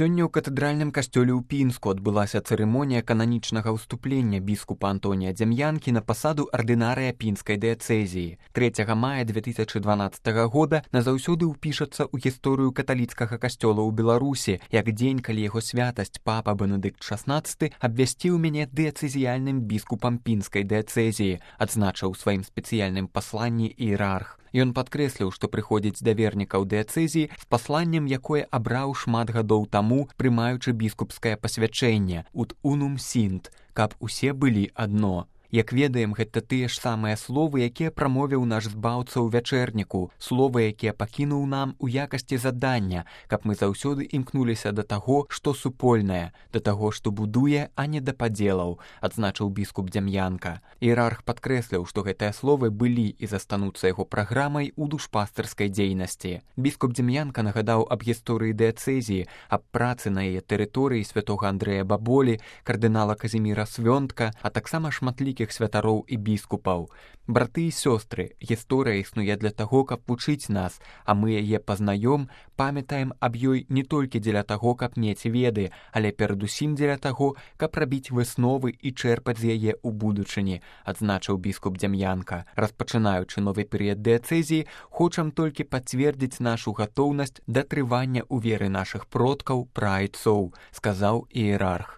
Сёння ў катэдральным касцёле ў Пінску адбылася цырымонія кананічнага ўступлення біскупа Антонія Дзям'янкі на пасаду ардынарыя пінскай дыяцэзіі. 3 мая 2012 года назаўсёды ўпішацца ў гісторыю каталіцкага касцёла ў Беларусі, як дзень, калі яго святасць папа Бенедыкт XVI абвясціў мяне дыяцэзіяльным біскупам пінскай дыяцэзіі, адзначыў у сваім спецыяльным пасланні іерарх. Ён падкрэсліў, што прыходзіць да вернікаў дыяцэзіі з пасланнем, якое абраў шмат гадоў таму, прымаючы біскупскае пасвячэнне «Ut unum sint», каб усе былі адно. Як ведаем, гэта тыя ж самыя словы, якія прамовіў наш збаўца ў вячэрніку, словы, якія пакінуў нам у якасці задання, каб мы заўсёды імкнуліся да таго, што супольнае, да таго, што будуе, а не да падзелаў, адзначыў біскуп Дзям'янка. Іерарх падкрэсліў, што гэтыя словы былі і застануцца яго праграмай у душпастырскай дзейнасці. Біскуп Дзям'янка нагадаў аб гісторыі дыяцэзіі, аб працы на яе тэрыторыі святога Андрэя Баболі, кардынала Казіміра Свёнтка, а таксама шматлікіх святароў і біскупаў. Браты і сёстры, гісторыя існуе для таго, каб вучыць нас, а мы яе пазнаём, памятаем аб ёй не толькі дзеля таго, каб мець веды, але перадусім дзеля таго, каб рабіць высновы і чэрпаць з яе ў будучыні, адзначыў біскуп Дзям'янка. Распачынаючы новы перыяд дыяцэзіі, хочам толькі пацвердзіць нашу гатоўнасць да трывання ў веры нашых продкаў, праайцоў, сказаў іерарх.